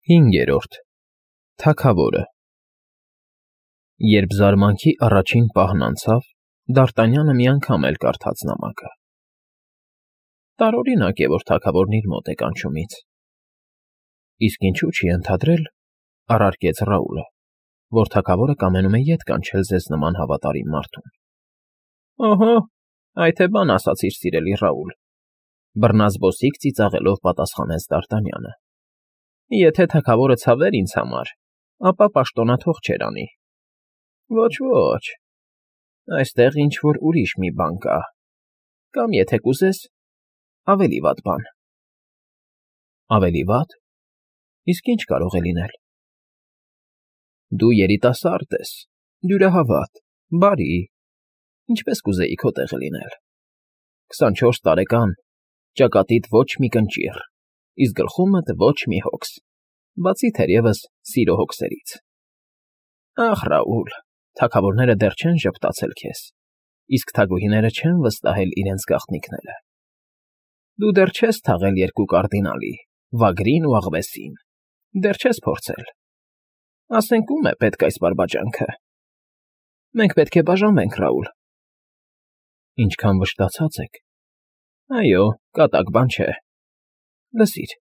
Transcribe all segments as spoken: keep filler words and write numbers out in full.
Հինգերորդ Թագավորը Երբ զարմանքի առաջին պահն անցավ, Դարտանյանը մի անգամ էլ կարդաց նամակը։ Տարօրինակ է, որ թագավորն իր մոտ է կանչում ինձ։ Իսկ ինչու չի ընդհատրել, առարկեց Ռաուլը, որ թագավորը կամենում է ետ կանչել ձեզ նման հավատարիմ մարդուն։ Ահա, այ թե բան ասացիր, սիրելի Ռաուլ, բռնազբոսիկ ծիծաղելով պատասխանեց Դարտանյանը։ Եթե թագավորը ցավեր ինձ համար, ապա պաշտոնաթող չէր անի։ Ոչ, ոչ, այստեղ ինչ-որ ուրիշ մի բան կա, կամ եթե կուզես, ավելի վատ բան։ Ավելի վատ։ Իսկ ինչ կարող է լինել։ Դու երիտասարդ ես, դյուրահավատ, բարի, ինչպես կուզեի քո տեղը լինել։ քսանչորս տարեկան, ճակատիդ ոչ մի կնճիռ, իսկ գլխումդ ոչ մի հոգս, բացի թերևս սիրո հոգսերից։ Ախ, Ռաուլ, թագավորները դեռ չեն ժպտացել քեզ, իսկ թագուհիները չեն վստահել իրենց գաղտնիքները։ Դու դեռ չես թաղել երկու կարդինալի, Վագրին ու Աղվեսին, դեռ չես փորձել։ Ասենք ում է պետք այս բարբաջանքը։ Մենք պետք է բաժանվենք, Ռաուլ։ Ինչքան վշտացած եք։ Այո, կատակ բան չէ։ Լսիր,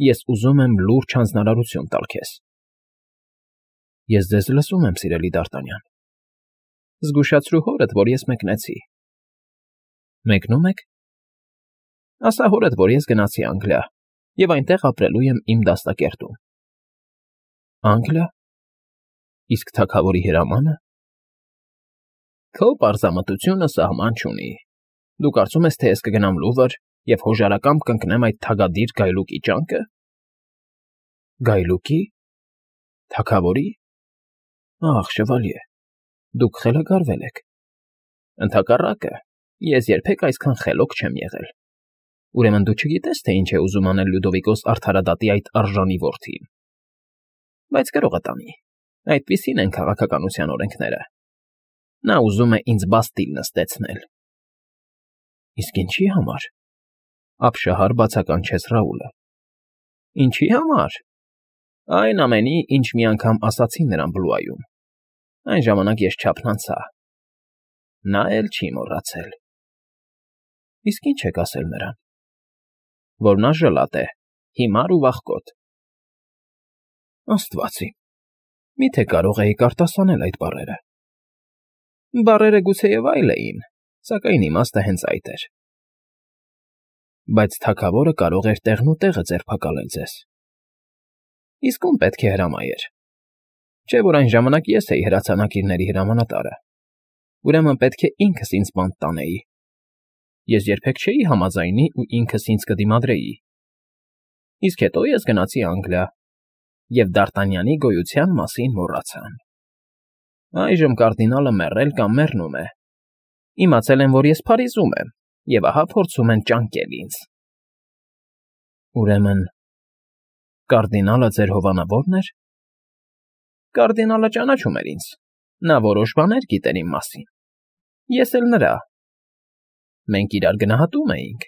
ես ուզում եմ լուրջ հանձնարարություն տալ քեզ։ Ես ձեզ լսում եմ, սիրելի Դարտանյան։ Զգուշացրու հորդ, որ ես մեկնեցի։ Մեկնում եք։ Ասա հորդ, որ ես գնացի Անգլիա և այնտեղ ապրելու եմ իմ դաստակերտում։ Անգլիա։ Իսկ թագավորի հրամանը։ Քո պարզամտությունը սահման չունի։ Դու կարծում ես, թե ես կգնամ Լուվր և հոժարակամ կընկնեմ այդ թագադիր գայլուկի ճանկը։ Գայլուկի։ Թագավորի։ Ախ, շվալյե, դուք խելագարվել եք։ Ընդհակառակը, ես երբեք այսքան խելոք չեմ եղել։ Ուրեմն դու չգիտես, թե ինչ է ուզում անել Լյուդովիկոս արդարադատի այդ արժանի որդին։ Բայց գրողը տանի, այդպիսին են քաղաքականության օրենքները։ Նա ուզում է ինձ բաստիլ նստեցնել։ Իսկ ինչի համար։ Ապշահար բացականչեց Ռաուլը։ Ինչի համար։ Այն ամենի, ինչ մի անգամ ասացի նրան Բլուայում։ Այն ժամանակ ես չափն անցա։ Նա էլ չի մոռացել։ Իսկ ինչ եք ասել նրան։ Որ նա ժլատ է, հիմար ու վախկոտ։ Աստված իմ, միթե կարող էիք արտասանել այդ բառերը։ Բառերը գուցեև այլ էին, սակայն իմաստը հենց այդ էր։ Բայց թագավորը կարող էր տեղնուտեղը ձերբակալել ձեզ։ Իսկ ում պետք է հրամայեր։ Չէ՞ որ այն ժամանակ ես էի հրացանակիրների հրամանատարը։ Ուրեմն պետք է ինքս ինձ բանտ տանեի։ Ես երբեք չէի համաձայնի ու ինքս ինձ կդիմադրեի։ Իսկ հետո ես գնացի Անգլիա և Դարտանյանի գոյության մասին մոռացան։ Այժմ կարդինալը մեռել կամ մեռնում է։ Իմացել եմ, որ ես Փարիզում եմ, և ահա փորձում են ճանկել ինձ։ Ուրեմն, կարդինալը ձեր հովանավորն էր։ Կարդինալը ճանաչում էր ինձ։ Նա որոշ բաներ գիտեր իմ մասին։ Ես էլ նրա։ Մենք իրար գնահատում էինք։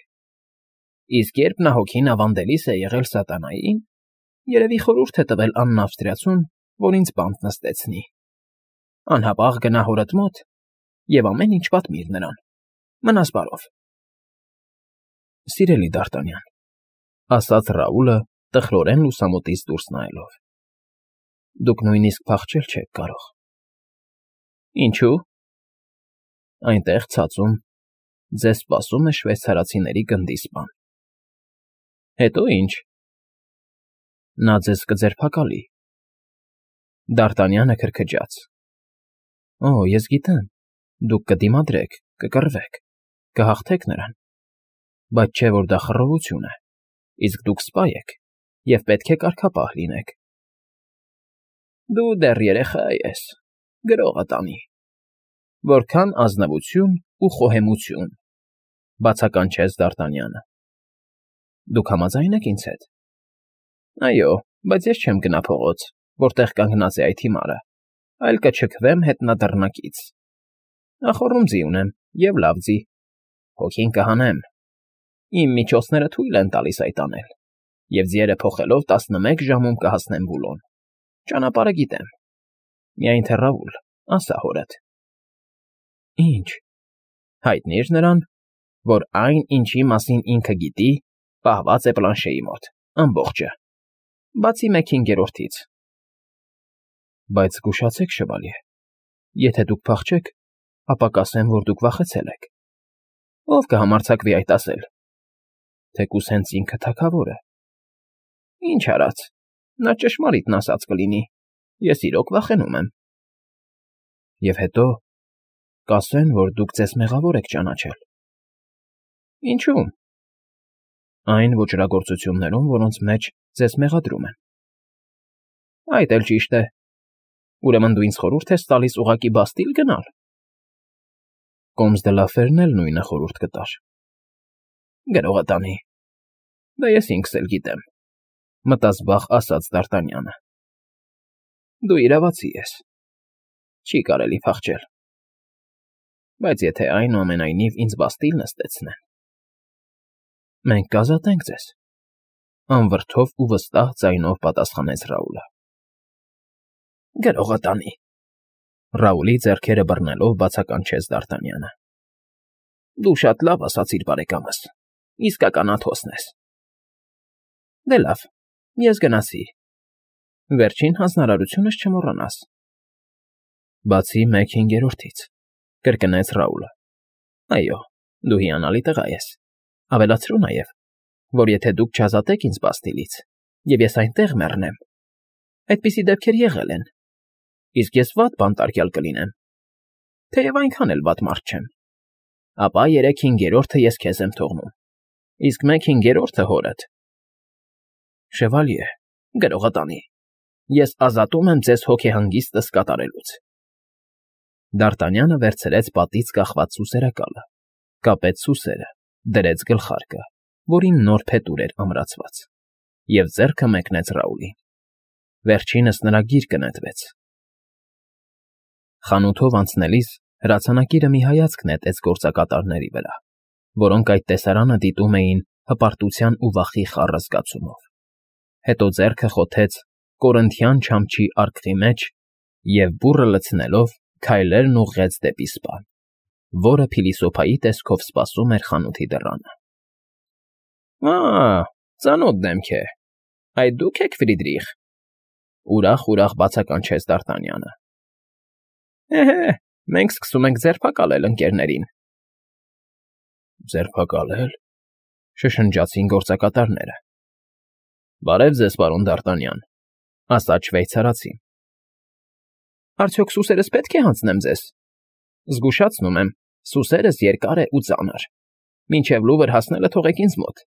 Իսկ երբ նա հոգին ավանդելիս է եղել սատանային, երևի խորհուրդ է տվել Անն Ավստրիացուն, որ ինձ բանտ նստեցնի։ Անհապաղ գնա հորդ մոտ և ամեն ինչ պատմիր նրան։ Մնաս բարով։ Սիրելի Դարտանյան, ասաց Ռաուլը, տխրորեն լուսամուտից դուրս նայելով։ Դուք նույնիսկ փախչել չեք կարող։ Ինչու՞։ Այնտեղ ցածում ձեզ սպասում է շվեյցարացիների գնդի սպան։ Հետո ինչ։ Նա ձեզ կձերբակալի։ Դարտանյանը քրքջաց։ Օ, ես գիտեմ, դուք կդիմադրեք, կկռվեք, կհաղթեք նրան։ Բայց չէ՞ որ դա խռովություն է, իսկ դուք սպա եք և պետք է կարգապահ լինեք։ Դու դեռ երեխա ես, գրողը տանի։ Որքան ազնվություն ու խոհեմություն, բացականչեց Դարտանյանը։ Դուք համաձայն եք ինձ հետ։ Այո, բայց ես չեմ գնա փողոց, որտեղ կանգնած է այդ հիմարը, այլ կչքվեմ հետնադռնակից։ Նախոռում ձի ունեմ և լավ ձի։ Հոգին կհանեմ։ Իմ միջոցները թույլ են տալիս այդ անել։ և ձիերը փոխելով տասնմեկ ժամում կհասնեմ Բուլոն։ Ճանապարհը գիտեմ։ Միայն թե Ռաուլ, ասա հորդ։ Ինչ։ Հայտնի՞ր նրան, որ այն, ինչի մասին ինքը գիտի, պահված է Պլանշեի մոտ, ամբողջը, բացի մեկ հինգերորդից։ Բայց զգուշացեք, շվալյե, եթե դուք փախչեք, ապա կասեն, որ դուք վախեցել եք։ Ո՞վ կհամարձակվի այդ ասել։ Թեկուզ հենց ինքը թագավորը։ Ինչ արած, նա ճշմարիտն ասած կլինի, ես իրոք վախենում եմ։ Եվ հետո կասեն, որ դուք ձեզ մեղավոր եք ճանաչել։ Ինչու՞մ։ Այն ոճրագործություններում, որոնց մեջ ձեզ մեղադրում են։ Այդ էլ ճիշտ է։ Ուրեմն դու ինձ խորհուրդ ես տալիս ուղղակի Բաստիլ գնալ։ Կոմս դե լա Ֆերն էլ նույնը խորհուրդ կտար։ Գրողը տանի։ Դա ես ինքս էլ գիտեմ, մտազբաղ ասաց Դ'Արտանյանը։ Դու իրավացի ես։ Չի կարելի փախչել։ Բայց եթե այնուամենայնիվ ինձ Բաստիլ նստեցնեն։ Մենք կազատենք ձեզ, անվրդով ու վստահ ձայնով պատասխանեց Ռաուլը։ Գրողը տանի։ Ռաուլի ձեռքերը բռնելով բացականչեց Դ'Արտանյանը։ Դու շատ լավ ասացիր, բարեկամս, իսկական Աթոսն ես։ Դե լավ, ես գնացի։ Վերջին հանձնարարությունս չմոռանաս։ Բացի մեկ հինգերորդից, կրկնեց Ռաուլը։ Այո, դու հիանալի տղա ես։ Ավելացրու նաև, որ եթե դուք չազատեք ինձ Բաստիլից, և ես այնտեղ մեռնեմ, այդպիսի դեպքեր եղել են, իսկ ես վատ բան տարկյալ կլինեմ, թեև այնքան էլ վատ մարդ չեմ, ապա երեք հինգերորդը ես քեզ եմ թողնում, իսկ մեկ հինգերորդը հորդ։ Շևալյե, գրողը տանի, ես ազատում եմ ձեզ հոգեհանգիստս կատարելուց։ Դ'Արտանյանը վերցրեց պատից կախված սուսերակալը, կապեց սուսերը, դրեց գլխարկը, որին նոր փետուր էր ամրացված, և ձեռքը մեկնեց Ռաուլին։ Վերջինս նրա գիրկը նետվեց։ Խանութով անցնելիս հրացանակիրը մի հայացք նետեց գործակատարների վրա, որոնք այդ տեսարանը դիտում էին հպարտության ու վախի խառը զգացումով։ Հետո ձեռքը խոթեց կորինթյան չամչի արկղի մեջ և բուռը լցնելով քայլերն ուղղեց դեպի սպան, որը փիլիսոփայի տեսքով սպասում էր խանութի դռանը։ Ա՜, ծանոթ դեմք է։ Այդ դուք եք Ֆրիդրիխ։ Ուրախ-ուրախ բացականչեց Դ'Արտանյանը։ Էհե, մենք սկսում ենք ձերբակալել ընկերներին։ Ձերբակալել, շշնջացին գործակատարները։ Բարև ձեզ, պարոն Դ'Արտանյան, ասաց շվեյցարացին։ Արդյոք սուսերս պետք է հանձնեմ ձեզ։ Զգուշացնում եմ, սուսերս երկար է ու ծանր։ Մինչև Լուվր հասնելը թողեք ինձ մոտ։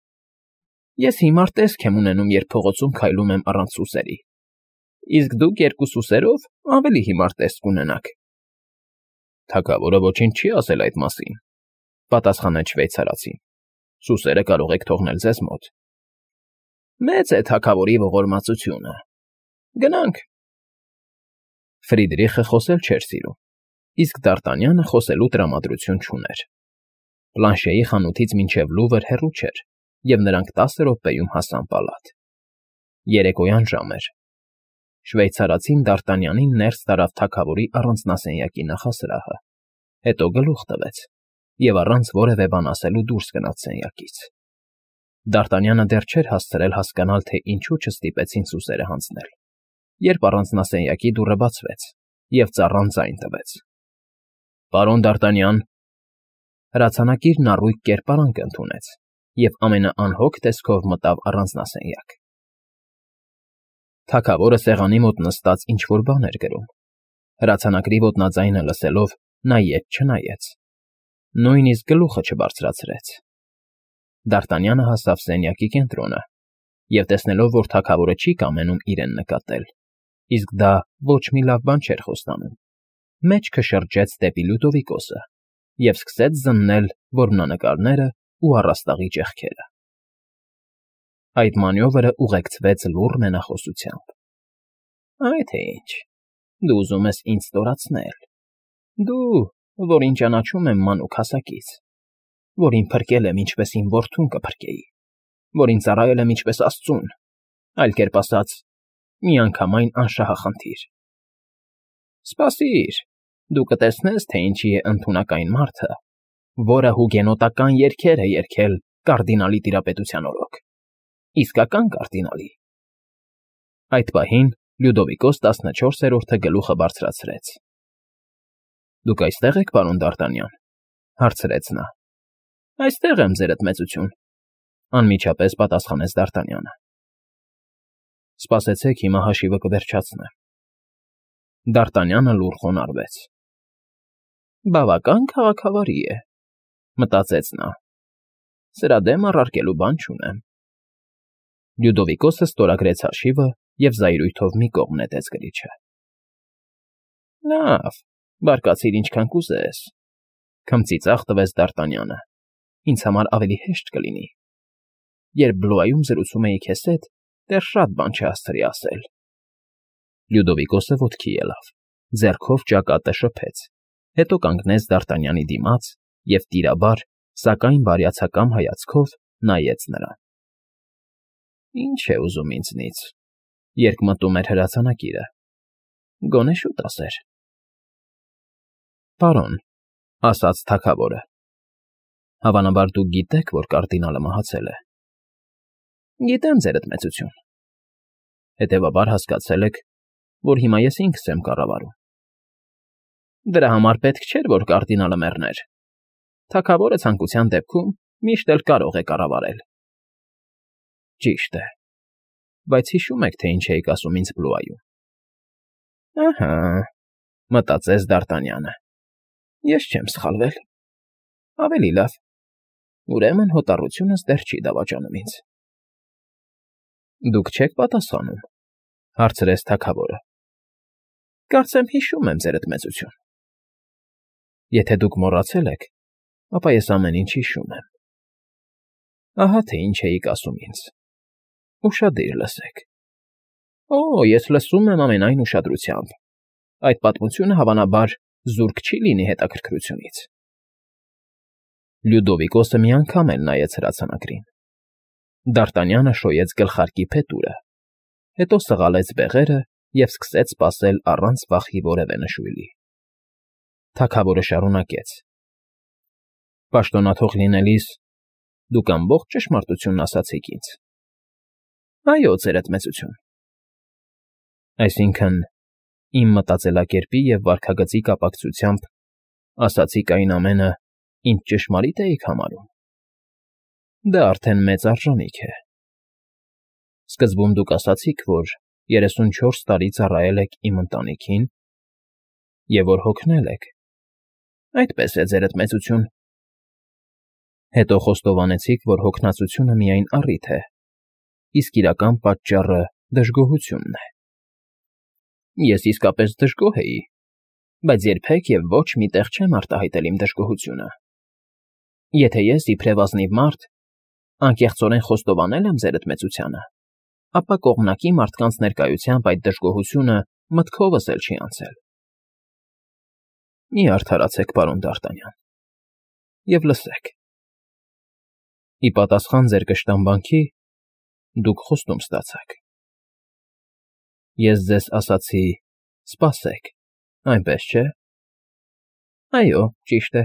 Ես հիմար տեսք եմ ունենում, երբ փողոցում քայլում եմ առանց սուսերի։ Իսկ դուք երկու սուսերով ավելի հիմար տեսք կունենաք։ Թագավորը ոչինչ չի ասել այդ մասին, պատասխանեց շվեյցարացին։ Սուսերը կարող եք թողնել ձեզ մոտ։ Մեծ է թագավորի ողորմածությունը։ Գնանք։ Ֆրիդրիխը խոսել չէր սիրում, իսկ Դ'Արտանյանը խոսելու տրամադրություն չուներ։ Պլանշեի խանութից մինչև Լուվր հեռու չէր, և նրանք տասը րոպեում հասան պալատ։ Երեկոյան ժամ էր։ Շվեյցարացին Դ'Արտանյանին ներս տարավ թագավորի առանձնասենյակի նախասրահը, հետո գլուխ տվեց և առանց որևէ բան ասելու դուրս գնաց սենյակից։ Դ'Արտանյանը դեռ չէր հասցրել հասկանալ, թե ինչու չստիպեցին սուսերը հանձնել, երբ առանձնասենյակի դուռը բացվեց, և ծառան ձայն տվեց։ Պարոն Դ'Արտանյան։ Հրացանակիրն առույգ կերպարանք ընդունեց և ամենաանհոգ տեսքով մտավ առանձնասենյակ։ Թագավորը սեղանի մոտ նստած ինչ֊որ բան էր գրում։ Հրացանակրի ոտնաձայնը լսելով նա ետ չնայեց, նույնիսկ գլուխը չբարձրացրեց։ Դ'Արտանյանը հասավ սենյակի կենտրոնը և, տեսնելով, որ թագավորը չի կամենում իրեն նկատել, իսկ դա ոչ մի լավ բան չէր խոստանում, մեջքը շրջեց դեպի Լյուդովիկոսը և սկսեց զննել որմնանկարներն ու առաստաղի ճեղքերը։ Այդ մանյովրը ուղեկցվեց լուռ մենախոսությամբ։ Այ թե ինչ, դու ուզում ես ինձ ստորացնել։ Դու, որին ճանաչում եմ մանուկ հասակից, որին փրկել եմ, ինչպես իմ որդուն կփրկեի։ որին ծառայել եմ ինչպես աստծուն, այլ կերպ ասած, միանգամայն անշահախնդիր։ Սպասիր, դու կտեսնես, թե ինչի է ընդունակ այն մարդը, որը հուգենոտական երգեր է երգել կարդինալի տիրապետության օրոք, իսկական կարդինալի։ Այդ պահին Լյուդովիկոս տասնչորսերորդը գլուխը բարձրացրեց։ ֊ Դուք այստե՞ղ եք, պարոն Դ'Արտանյան,֊ հարցրեց նա։ ֊ Այստեղ եմ, ձերդ մեծություն,֊ անմիջապես պատասխանեց Դ'Արտանյանը։ ֊ Սպասեցեք, հիմա հաշիվը կվերջացնեմ։ Դ'Արտանյանը լուռ խոնարհվեց։ «Բավական քաղաքավարի է,֊ մտածեց նա։ Սրա դեմ առարկելու բան չունեմ»։ Լյուդովիկոսը ստորագրեց հաշիվը և զայրույթով մի կողմ նետեց գրիչը։ ֊ Լավ, բարկացիր ինչքան կուզես,֊ քմծիծաղ տվեց Դ'Արտանյանը,֊ ինձ համար ավելի հեշտ կլինի։ Երբ Բլուայում զրուցում էի քեզ հետ, դեռ շատ բան չհասցրի ասել։ Լյուդովիկոսը ոտքի ելավ, ձեռքով ճակատը շփեց, հետո կանգնեց Դ'Արտանյանի դիմաց և տիրաբար, սակայն բարյացակամ հայացքով նայեց նրան։ «Ի՞նչ է ուզում ինձնից,֊ երկմտում էր հրացանակիրը,֊ գոնե շուտ ասեր»։ «Պարոն,֊ ասաց թագավորը,֊ հավանաբար դուք գիտեք, որ կարդինալը մահացել է։ ֊ Գիտեմ, ձերդ մեծություն։ ֊ Հետևաբար հասկացել եք, որ հիմա ես ինքս եմ կառավարում։ ֊ Դրա համար պետք չէր, որ կարդինալը մեռներ։ Թագավորը ցանկության դեպքում միշտ էլ կարող է կառավարել։ ֊ Ճիշտ է, բայց հիշո՞ւմ եք, թե ինչ էիք ասում ինձ Բլուայում։ ֊ Ըհը,֊ մտածեց Դ'Արտանյանը,֊ ես չեմ սխալվել։ Ավելի լավ, ուրեմն հոտառությունս դեռ չի դավաճանում ինձ։ ֊ Դուք չեք պատասխանում,֊ հարցրեց թագավորը։ ֊ Կարծեմ հիշում եմ, ձերդ մեծություն։ ֊ Եթե դուք մոռացել եք, ապա ես ամեն ինչ հիշում եմ։ Ահա թե ինչ էիք ասում ինձ. ուշադիր լսեք։ ֊ Օ, ես լսում եմ ամենայն ուշադրությամբ. այդ պատմությունը, հավանաբար, զուրկ չի լինի հետաքրքրությունից։ Լյուդովիկոսը մի անգամ էլ նայեց հրացանակրին։ Դ'Արտանյանը շոյեց գլխարկի փետուրը, հետո սղալեց բեղերը և սկսեց սպասել առանց վախի որևէ նշույլի։ Թագավորը շարունակեց. ֊ Պաշտոնաթող լինելիս դուք ամբողջ ճշմարտությունն ասացիք ինձ։ ֊ Այո, ձերդ մեծություն։ ֊ Այսինքն, իմ մտածելակերպի և վարքագծի կապակցությամբ ասացիք այն ամենը, ինչ ճշմարիտ էիք համարում։ Դա արդեն մեծ արժանիք է։ Սկզբում դուք ասացիք, որ երեսունչորս տարի ծառայել եք իմ ընտանիքին և որ հոգնել եք։ Այդպես է, ձերդ մեծություն։ Հետո խոստովանեցիք, որ հոգնածությունը միայն առիթ է, իսկ իրական պատճառը դժգոհությունն է։ Ես իսկապես դժգոհ էի, բայց երբեք և ոչ մի տեղ չեմ արտահայտել իմ դժգոհությունը։ Եթե ես, իբրև ազնիվ մարդ, անկեղծորեն խոստովանել եմ ձերդ մեծությանը, ապա կողմնակի մարդկանց ներկայությամբ այդ դժգոհությունը մտքովս էլ չի անցել։ Մի արդարացեք, պարոն Դ'Արտանյան, և լսեք. ի պատասխան ձեր կշտամբանքի դուք խոստում ստացաք։ Ես ձեզ ասացի. սպասեք, այնպես չէ՞։ Այո, ճիշտ է,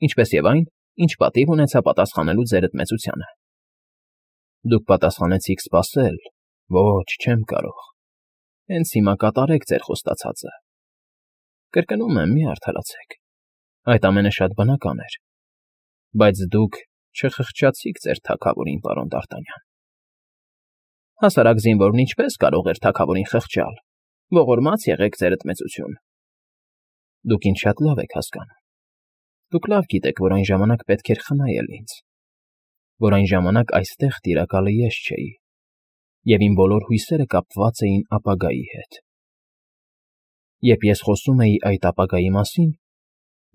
ինչպես և այն, ինչ պատիվ ունեցա պատասխանելու ձերդ մեծությանը։ Դուք պատասխանեցիք սպասել, ոչ, չեմ կարող։ Հենց հիմա կատարեք ձեր խոստացածը։ Կրկնում եմ, մի արդարացեք, այդ ամենը շատ բնական էր, բայց դուք չխղճացիք ձեր թագավորին, պարոն Դ'Արտանյան։ Հասարակ զինվորն ինչպես կարող էր թագավորին խղճալ, ողորմած եղեք, ձերդ մեծություն։ Դուք ինձ շատ լավ եք հասկանում։ Դուք լավ գիտեք, որ այն ժամանակ պետք էր խնայել ինձ, որ այն ժամանակ այստեղ տիրակալը ես չէի, և իմ բոլոր հույսերը կապված էին ապագայի հետ։ Երբ ես խոսում էի այդ ապագայի մասին,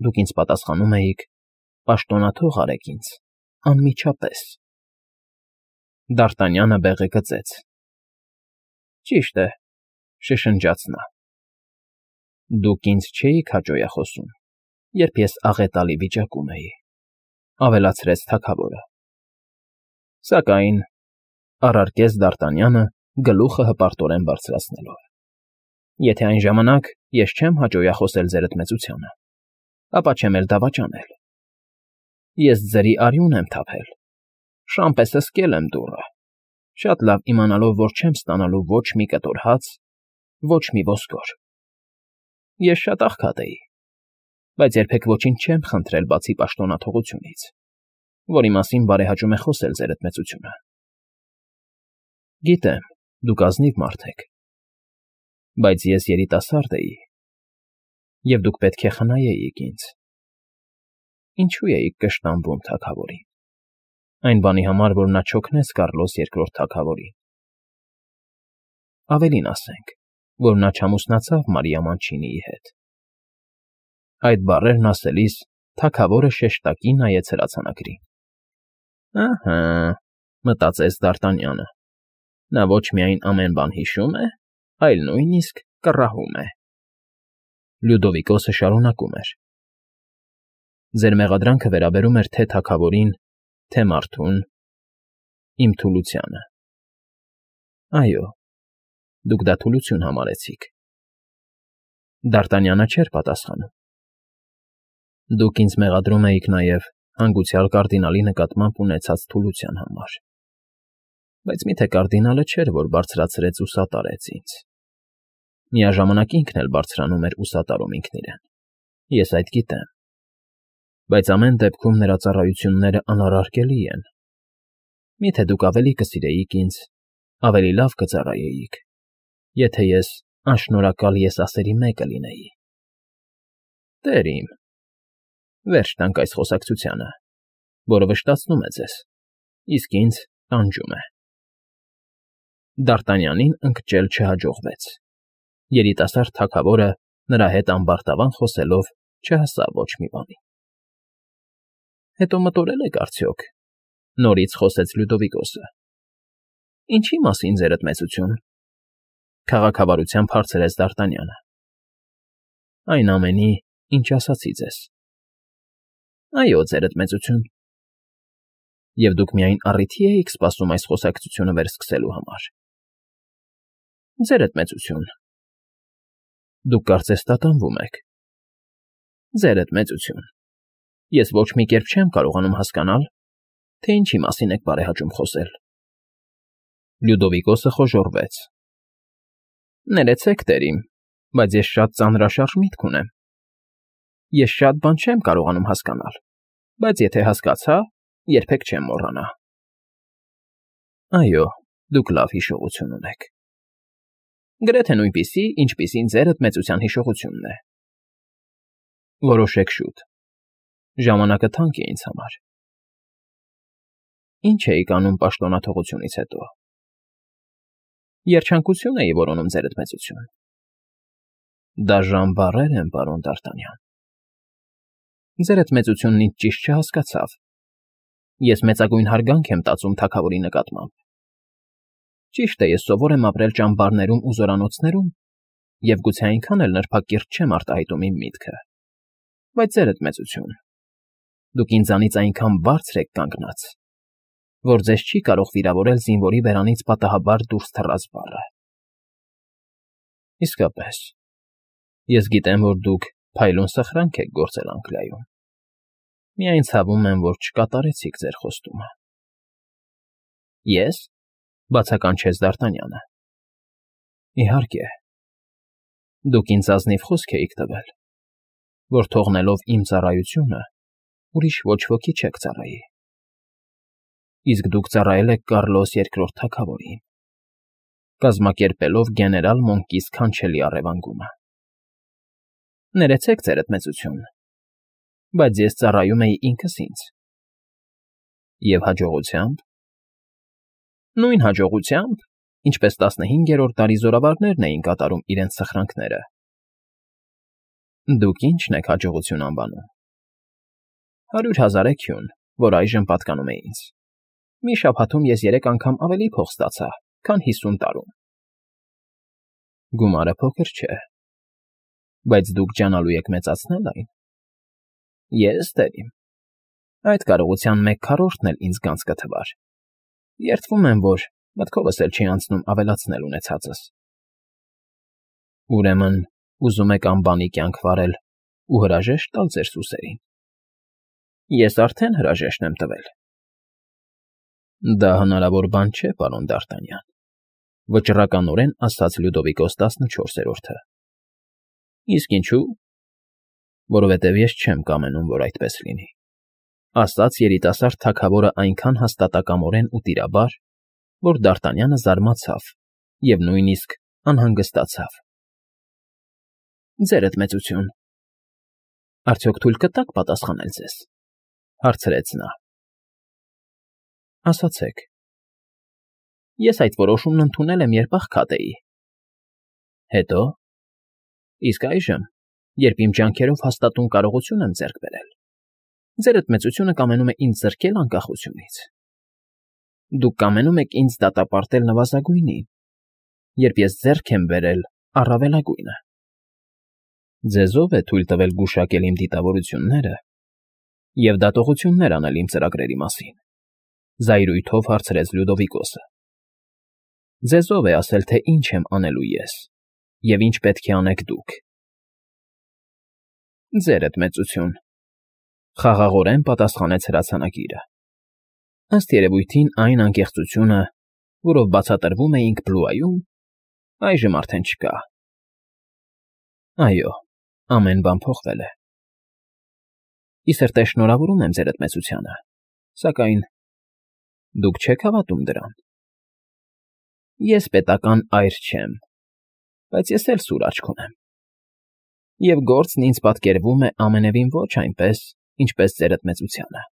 դուք ինձ պատասխանում էիք. «Պաշտոնաթող արեք ինձ, անմիջապես»։ Դ'Արտանյանը բեղը գծեց։ Ճիշտ է,֊ շշնջաց նա։ Դուք ինձ չէիք հաճոյախոսում, երբ ես աղետալի վիճակում էի,֊ ավելացրեց թագավորը։ Սակայն Առարկեց Դ'Արտանյանը, գլուխը հպարտորեն բարձրացնելով։ Եթե այն ժամանակ ես չեմ հաճոյախոսել ձերդ մեծությանը, ապա չեմ էլ դավաճանել։ Ես ձրի արյուն եմ թափել, շան պես հսկել եմ դուռը, շատ լավ իմանալով, որ չեմ ստանալու ոչ մի կտոր հաց, ոչ մի ոսկոր։ Ես շատ աղքատ էի, բայց երբեք ոչինչ չեմ խնդրել բացի պաշտոնաթողությունից, որի մասին բարեհաճում է խոսել ձերդ մեծությունը։ Գիտեմ, դուք ազնիվ մարդ եք, բայց ես երիտասարդ էի, և դուք պետք է խնայեիք ինձ։ Ինչու էիք կշտամբում թագավորին, այն բանի համար, որ նա չօգնեց Կառլոս Երկրորդ թագավորին։ Ավելին ասենք, որ նա չամուսնացավ Մարիա Մանչինիի հետ։ Այդ բառերն ասելիս թագավորը շեշտակի նայեց հրացանակրին։ Ահա, մտածեց Դ'Արտանյանը, նա ոչ միայն ամեն բան հիշում է, այլ նույնիսկ կռահում է։ Լյուդովիկոսը շարունակում էր. Ձեր մեղադրանքը վերաբերում էր թե թագավորին, թե մարդուն, իմ թուլությանը։ Այո, դուք դա թուլություն համարեցիք։ Դ'Արտանյանը չէր պատասխանում։ Դուք ինձ մեղադրում էիք նաև հանգուցյալ կարդինալի նկատմամբ ունեցած թուլության համար։ Բայց միթե կարդինալը չէր, որ բարձրացրեց ու սատարեց ինձ։ Միաժամանակ ինքն էլ բարձրանում էր ու սատարում ինքն իրեն։ Ես այդ գիտեմ։ Բայց ամեն դեպքում նրա ծառայությունները անառարկելի են։ Միթե դուք ավելի կսիրեիք ինձ, ավելի լավ կծառայեիք, եթե ես անշնորհակալ եսասերի մեկը լինեի։ Տեր իմ, վերջ տանք այս խոսակցությանը, որը վշտացնում է ձեզ, իսկ ինձ տանջում է։ Դ'Արտանյանին ընկճել չհաջողվեց։ Երիտասարդ թագավորը նրա հետ ամբարտավան խոսելով չհասավ ոչ մի բանի։ Հետո մտորել եք արդյոք, նորից խոսեց Լյուդովիկոսը։ Ինչի մասին ձերդ մեծություն, քաղաքավարությամբ հարցրեց Դ'Արտանյանը։ Այն ամենի, ինչ ասացի ձեզ։ Այո, ձերդ մեծություն։ Եվ դուք միայն առիթի էիք սպասում այս խոսակցությունը վերսկսելու համար։ Ձերդ մեծություն։ Դուք կարծես տատանվում եք։ Ձերդ մեծություն։ Ես ոչ մի կերպ չեմ կարողանում հասկանալ, թե ինչի մասին եք բարեհաճում խոսել։ Լյուդովիկոսը խոժոռվեց։ Ներեցեք, տեր իմ, բայց ես շատ ծանրաշարժ միտք ունեմ։ Ես շատ բան չեմ կարողանում հասկանալ, բայց եթե հասկացա, երբեք չեմ մոռանա։ Այո, դուք լավ հիշողություն ունեք։ Գրեթե նույնպիսի, ինչպիսին ձերդ մեծության հիշողությունն է։ Որոշեք շուտ։ Ժամանակը թանկ է ինձ համար։ Ինչ էիք անում պաշտոնաթողությունից հետո։ Երջանկություն էի որոնում ձերդ մեծություն։ Դաժան բառեր են, պարոն Դ'Արտանյան։ Ձերդ մեծությունն ինձ ճիշտ չհասկացավ։ Ես մեծագույն հարգանք եմ տածում թագավորի նկատմամբ։ Ճիշտ է, ես սովոր եմ ապրել ճամբարներում ու զորանոցներում, և գուցե այնքան էլ նրբակիրթ չեմ արտահայտում իմ միտքը։ Բայց ձերդ մեծություն, դուք ինձանից այնքան բարձր եք կանգնած, որ ձեզ չի կարող վիրավորել զինվորի բերանից պատահաբար դուրս թռած բառը։ Իսկապես, ես գիտեմ, որ դուք փայլուն սխրանք եք գործել Անգլիայում։ Միայն ցավում եմ, որ չկատարեցիք ձեր խոստումը։ Ես, բացականչեց Դ'Արտանյանը։ Իհարկե, դուք ինձ ազնիվ խոսք էիք տվել, որ թողնելով իմ ծառայությունը, ուրիշ ոչ ոքի չեք ծառայի։ Իսկ դուք ծառայել եք Կառլոս Երկրորդ թագավորին, կազմակերպելով գեներալ Մոնկի սքանչելի առևանգումը։ Ներեցեք, ձերդ մեծություն, բայց ես ծառայում էի ինքս ինձ։ Եվ հաջողությամբ։ Նույն հաջողությամբ, ինչպես տասնհինգերորդ դարի զորավարներն էին կատարում իրենց սխրանքները։ Դուք ի՞նչն եք հաջողություն անվանում։ Հարյուր հազարեքյուն, որ այժմ պատկանում է ինձ։ Մի շաբաթում ես երեք անգամ ավելի փող ստացա, քան հիսուն տարում։ Գումարը փոքր չէ, բայց դուք ջանալու եք մեծացնել այն։ Ես, տեր իմ, այդ կարողության մեկ քառորդն էլ ինձ գանձ կթվար։ Երդվում եմ, որ Մտքովս էլ չի անցնում ավելացնել ունեցածս։ Ուրեմն, ուզում եք անբանի կյանք վարել ու հրաժեշտ տալ ձեր սուսերին։ Ես արդեն հրաժեշտ եմ տվել։ Դա հնարավոր բան չէ, պարոն Դ'Արտանյան, վճռականորեն ասաց Լյուդովիկոս տասնչորսերորդը։ Իսկ ինչու՞։ Որովհետև ես չեմ կամենում, որ այդպես լինի, ասաց երիտասարդ թագավորը այնքան հաստատակամորեն ու տիրաբար, որ Դ'Արտանյանը զարմացավ և նույնիսկ անհանգստացավ։ Ձերդ մեծություն, արդյոք թույլ կտաք պատասխանել ձեզ, հարցրեց նա։ Ասացեք։ Ես այդ որոշումն ընդունել եմ, երբ աղքատ էի։ Հետո։ Իսկ այժմ, երբ իմ ջանքերով հաստատուն կարողություն եմ ձեռք բերել, ձերդ մեծությունը կամենում է ինձ զրկել անկախությունից։ Դուք կամենում եք ինձ դատապարտել նվազագույնին, երբ ես ձեռք եմ բերել առավելագույնը։ Ձեզ ո՞վ է թույլ տվել գուշակել իմ դիտավորությունները և դատողություններ անել իմ ծրագրերի մասին, զայրույթով հարցրեց Լյուդովիկոսը։ Ձեզ ո՞վ է ասել, թե ինչ եմ անելու ես և ինչ պետք է անեք դուք։ Ձերդ մեծություն, խաղաղորեն պատասխանեց հրացանագիրը։ Ըստ երևույթին այն անկեղծությունը, որով բացատրվում էինք Բլուայում, այժմ արդեն չկա։ Այո, ամեն բան փոխվել է։ Ի սրտե շնորհավորում եմ ձերդ մեծությանը, սակայն դուք չեք հավատում դրան։ Ես պետական այր չեմ, բայց ես էլ սուր աչք ունեմ։ Եվ գործն ինձ պատկերվում է ամենևին ոչ այնպես, ինչպես ձերդ մեծությանը։